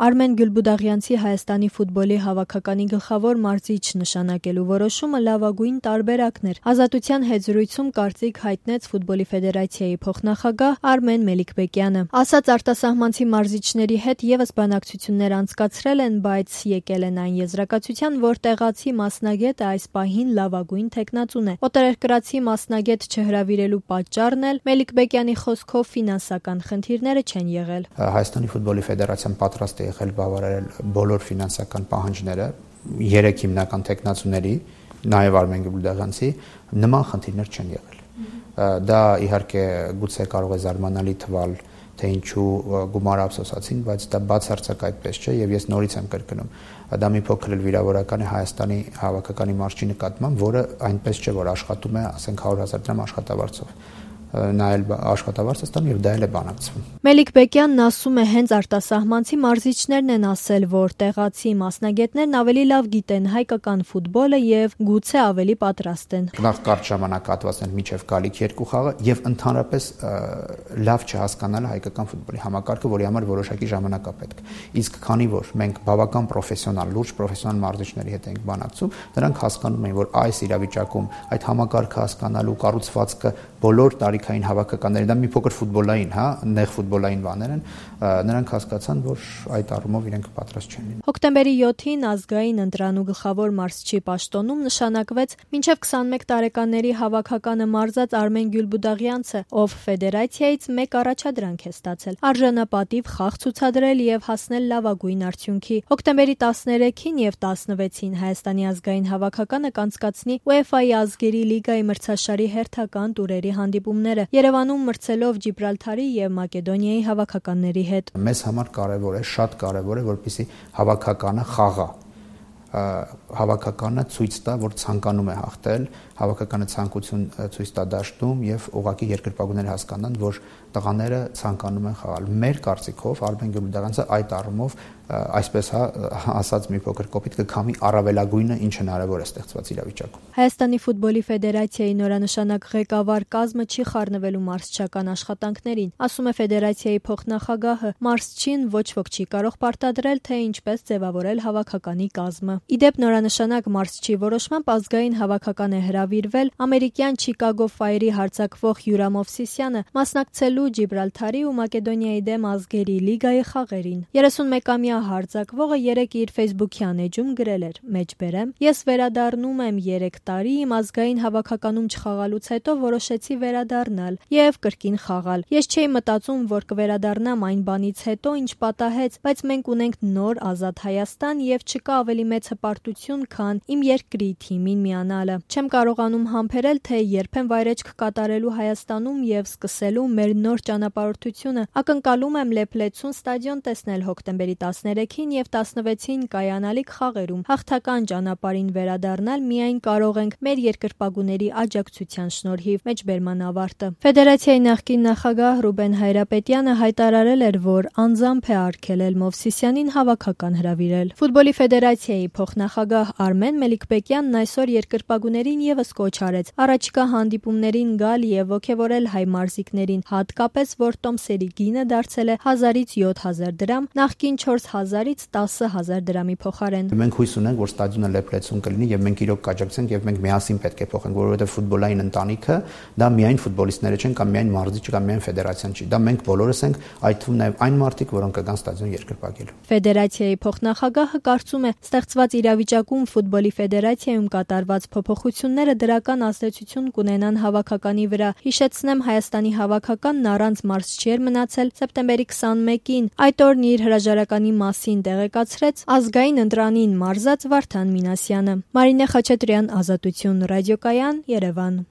Արմեն Գյուլբուդաղյանցի Հայաստանի ֆուտբոլի հավաքականի գլխավոր մարզիչ նշանակելու որոշումը լավագույն տարբերակն էր։ Ազատության հետ զրույցում կարծիք հայտնեց ֆուտբոլի ֆեդերացիայի փոխնախագահ Արմեն Մելիքբեկյանը։ Ասաց արտասահմանցի մարզիչների հետ եւս բանակցություններ անցկացրել են, բայց եկել են այն եզրակացության, որ տեղացի մասնագետը այս պահին լավագույն թեկնածուն է։ Օտարերկրացի մասնագետ չհրավիրելու պատճառն էլ Մելիքբեկյանի խոսքով ֆինանսական խնդիրները չեն եղել։ Հայաստանի ֆուտբոլի ֆեդերացիան պատրաստ է եղել բավարարել բոլոր ֆինանսական պահանջները 3 հիմնական թեկնածուների, նաև Արմեն Գյուլբուդաղյանցի, նման խնդիրներ չեն եղել։ Դա իհարկե գուցե կարող է զարմանալի թվալ, թե ինչու գումարը ափսոսացին, բայց դա բացարձակ այդպես չէ եւ ես նորից եմ կրկնում։ Դա մի փոքր էլ վիրավորական է Հայաստանի հավաքականի մարզչի նկատմամբ, որը այնպես չէ, որ աշխատում է, ասենք 100,000 դրամ աշխատավարձով։ Նա էլ աշխատավարձ է ստանում եւ դա էլ է բանակցվում։ Մելիքբեկյանն ասում է, հենց արտասահմանցի մարզիչներն են ասել, որ տեղացի մասնագետներն ավելի լավ գիտեն հայկական ֆուտբոլը եւ գուցե ավելի պատրաստ են։ Նախ կարճ ժամանակահատվածներ միջև գալիք երկու խաղը եւ ընդհանրապես լավ չհասկանալը հայկական ֆուտբոլի համակարգը, որի համար որոշակի ժամանակ է պետք։ Իսկ քանի որ մենք բավական պրոֆեսիոնալ, լուրջ պրոֆեսիոնալ մարզիչների հետ ենք բանակցում, նրանք հասկանում են, որ այս իրավիճակում այդ համակարգը հասկանալու կառուցվածքը բոլոր տարիքային հավաքականների, դա մի փոքր ֆուտբոլային, նեղ ֆուտբոլային բաներ են, նրանք հասկացան, որ այդ առումով իրենք պատրաստ չեն լինի։ Հոկտեմբերի 7-ին ազգային ընտրանու գլխավոր մարզչի պաշտոնում նշանակվեց մինչև 21 տարեկանների հավաքականը մարզած Արմեն Գյուլբուդաղյանցը, ով ֆեդերացիայից մեկ առաջադրանք է ստացել՝ արժանապատիվ խաղ ցուցադրել եւ հասնել լավագույն արդյունքի։ Հոկտեմբերի 13-ին եւ 16-ին Հայաստանի ազգային հավաքականը կանցկացնի UEFA-ի ազգերի լիգայի մրցաշարի հերթական տուրերի հանդիպումները, Երևանում մրցելով Ջիբրալթարի եւ Մակեդոնիայի հավաքականների հետ։ Մեզ համար կարևոր է, շատ կարևոր է, որպեսզի հավաքականը խաղա, հավաքականը ցույց տա, որ ցանկանում է հաղթել, հավաքականը ցանկություն ցույց տա դաշտում եւ ուղղակի երկրպագուները հասկանան, որ տղաները ցանկանում են խաղալ։ Մեր կարծիքով Արմեն Գյուլբուդաղյանցը այդ առումով այսպես ասած մի փոքր կոպիտ կքամի առավելագույնը, ինչ հնարավոր է ստեղծված իրավիճակում։ Հայաստանի ֆուտբոլի ֆեդերացիայի նորանշանակ ղեկավար կազմը չի խառնվելու մարզչական աշխատանքներին, ասում է ֆեդերացիայի փոխնախագահը։ Մարզչին ոչ ոք չի կարող պարտադրել, թե ինչպես ձևավորել հավաքականի կազմը։ Իդեպ նորանշանակ մարզչի որոշմամբ ազգային հավաքական է հրավիրվել ամերիկյան Չիկագո Ֆայրի հարձակվող Յուրամ Օվսիսյանը մասնակցելու Ջիբրալթարի ու Մակեդոնիայի դեմ ազգերի լիգայի խաղերին։ 31-ամյա հարձակվողը երեկ իր Facebook-յան էջում գրել էր. «Մեջբերեմ, ես վերադառնում եմ 3 տարի իմ ազգային հավաքականում չխաղալուց հետո որոշեցի վերադառնալ եւ կրկին խաղալ։ Ես չէի մտածում, որ կվերադառնամ այն բանից հետո, ինչ պատահեց, բայց մենք ունենք նոր ազատ Հայաստան եւ չկա ավելի մեծ հպարտություն, քան իմ երկրի թիմին միանալը։ Չեմ կարողանում համբերել, թե երբ եմ վայրեջք կատարելու Հայաստանում եւ սկսելու մեր նոր ճանապարհորդությունը։ Ակնկալում եմ Լեփլեցուն ստադիոն տեսնել հոկտեմբերի 13-ին եւ 16-ին կայանալիք խաղերում։ Հաղթական ճանապարհին վերադառնալ միայն կարող ենք մեր երկրպագուների աջակցության շնորհիվ»։ Մեջբերման ավարտը։ Ֆեդերացիայի նախկին նախագահ Ռուբեն Հայրապետյանը հայտարարել էր, որ անձամբ է արգելել Մովսիսյանին հավաքական հրավիրել։ Ֆուտբոլի ֆեդերացիայի փոխնախագահ Արմեն Մելիքբեկյանն այսօր երկրպագուներին եւս կոչ արեց առաջիկա հանդիպումներին գալ եւ ոգևորել հայ մարզիկներին, հատկապես որ տոմսերի գինը դարձել է 1000-ից 7000 դրամ, նախկին 4000-ից 10000 դրամի փոխարեն։ Մենք հույս ունենք, որ ստադիոնը Լեփլեցուն կլինի եւ մենք իրոք կաջակցենք եւ մենք միասին պետք է փոխենք, որովհետեւ ֆուտբոլային ընտանիքը դա միայն ֆուտբոլիստները չեն կամ միայն մարզիչը կամ միայն ֆեդերացիան չի, դա մենք բոլորս ենք, այդ թվում նաեւ այն մարդիկ, որոնք կգան ստադիոն երկրպագելու։ Ֆեդերացիայի փոխնախագահը կարծում է, ստեղծված իրավիճակում ֆուտբոլի ֆեդերացիայում կատարված փոփոխությունները դրական ազդեցություն կունենան հավաքականի վրա։ Հիշեցնեմ, Հայաստանի հավաքականն առանց մարզչի էր մնացել սեպտեմբերի 21-ին։ Այդ օրն իր հրաժարականի մասին տեղեկացրեց ազգային ընտրանին մարզած Վարդան Մինասյանը։ Մարինե Խաչատրյան, Ազատություն ռադիոկայան, Երևան։